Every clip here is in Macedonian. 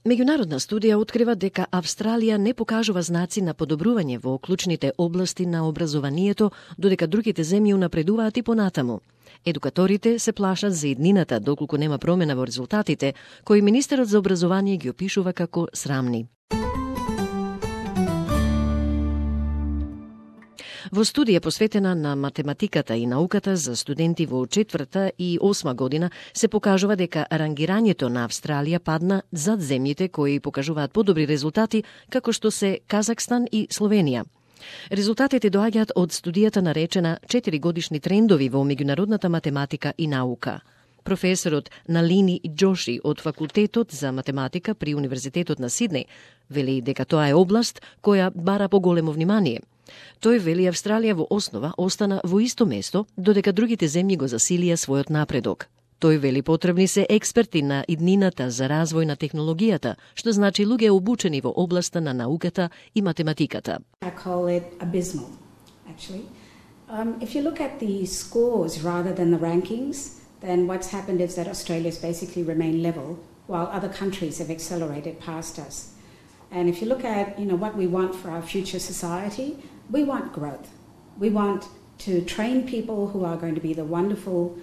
Меѓународна студија открива дека Австралија не покажува знаци на подобрување во клучните области на образованието, додека другите земји унапредуваат и понатаму. Едукаторите се плашат за иднината доколку нема промена во резултатите, кои министерот за образование ги опишува како срамни. Во студија посветена на математиката и науката за студенти во 4-та и 8-ма година се покажува дека рангирањето на Австралија падна зад земјите кои покажуваат подобри резултати, како што се Казахстан и Словенија. Резултатите доаѓаат од студијата наречена 4-годишни трендови во меѓународната математика и наука. Професорот Налини Джоши од Факултетот за математика при Универзитетот на Сиднеј вели дека тоа е област која бара поголемо внимание. Тој вели Австралија во основа остана во исто место, додека другите земји го засилија својот напредок. Тој вели потребни се експерти на иднината за развој на технологијата, што значи луѓе обучени во областа на науката и математиката. I call it abysmal, actually. If you look at the scores rather than the rankings, then what's happened is that Australia's basically remained level, while other countries have accelerated past us. And if you look at, what we want for our future society, we want growth. We want to train people who are going to be the wonderful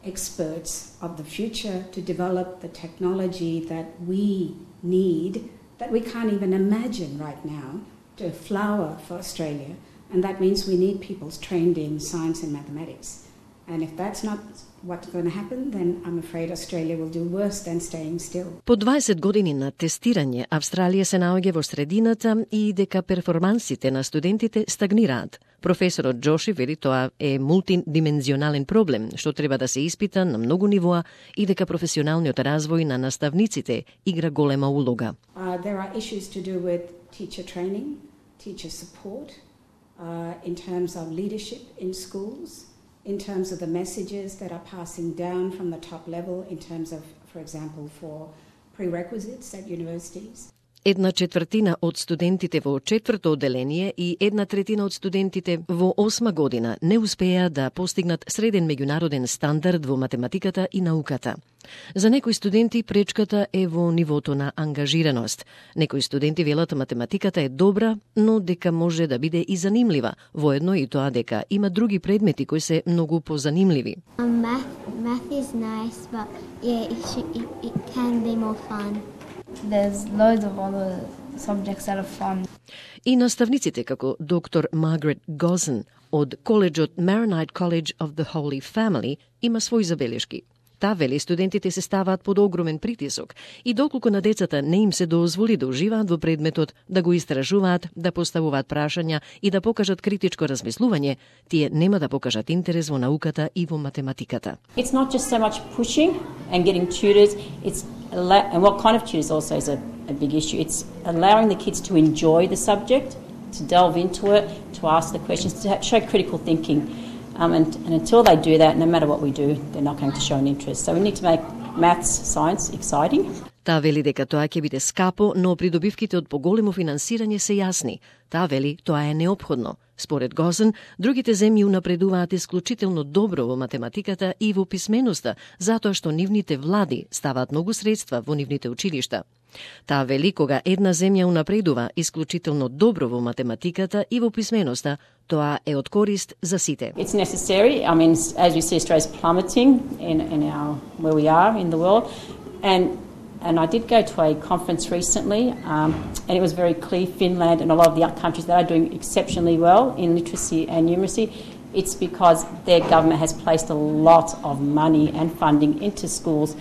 experts of the future to develop the technology that we need, that we can't even imagine right now, to flower for Australia. And that means we need people trained in science and mathematics. And if that's not what's going to happen, then I'm afraid Australia will do worse than staying still. По 20 години на тестирање, Австралија се наоѓа во средината и дека перформансите на студентите стагнираат. Професорот Джоши вели тоа е мултидимензионален проблем, што треба да се испита на многу нивоа и дека професионалниот развој на наставниците игра голема улога. There are issues to do with teacher training, teacher support, in terms of leadership in schools, in terms of the messages that are passing down from the top level, in terms of, for example, for prerequisites at universities. 1/4 од студентите во 4-то одделение и 1/3 од студентите во 8-ма година не успеа да постигнат среден меѓународен стандард во математиката и науката. За некои студенти пречката е во нивото на ангажираност. Некои студенти велат математиката е добра, но дека може да биде и занимлива, воедно и тоа дека има други предмети кои се многу позанимливи. Math is nice, but it can be more fun. There's loads of other subjects that are fun. И наставниците како доктор Маргарет Гозен од коледжот Maronite College of the Holy Family има своји забелешки. Таа вели студентите се ставаат под огромен притисок и доколку на децата не им се дозволи да уживаат во предметот, да го истражуваат, да поставуваат прашања и да покажат критичко размислување, тие нема да покажат интерес во науката и во математиката. It's not just so much pushing and getting tutors, and what kind of tutors also is a big issue. It's allowing the kids to enjoy the subject, to delve into it, to ask the questions, to show critical thinking. And until they do that, no matter what we do, they're not going to show an interest. So we need to make maths, science exciting. Таа вели дека тоа ќе биде скапо, но придобивките од поголемо финансирање се јасни. Таа вели тоа е неопходно. Според Гозен, другите земји унапредуваат исклучително добро во математиката и во писменоста, затоа што нивните влади ставаат многу средства во нивните училишта. Таа вели кога една земја унапредува исклучително добро во математиката и во писменоста, тоа е од корист за сите. It's necessary. I mean, as we see, Australia's plummeting in our where we are in the world, and I did go to a conference recently, and it was very clear Finland and a lot of the other countries that are doing exceptionally well in literacy and numeracy. It's because their government has placed a lot of money and funding into schools.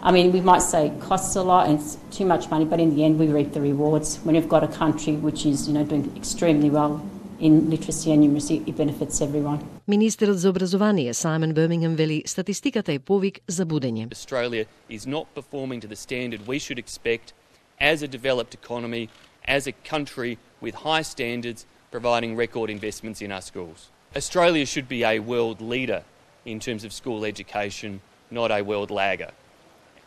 I mean, we might say it costs a lot and it's too much money, but in the end we reap the rewards. When you've got a country which is, doing extremely well in literacy and numeracy, it benefits everyone. Министерот за образование Саймон Бирмингем вели статистиката е повик за будење. Australia is not performing to the standard we should expect as a developed economy, as a country with high standards, providing record investments in our schools. Australia should be a world leader in terms of school education, not a world lagger.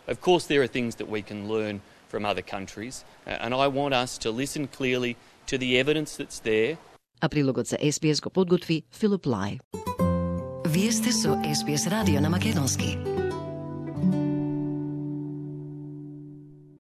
Of course, there are things that we can learn from other countries, and I want us to listen clearly to the evidence that's there. А прилогот за SBS го подготви Филип Лај. Вие сте со SBS радио на македонски.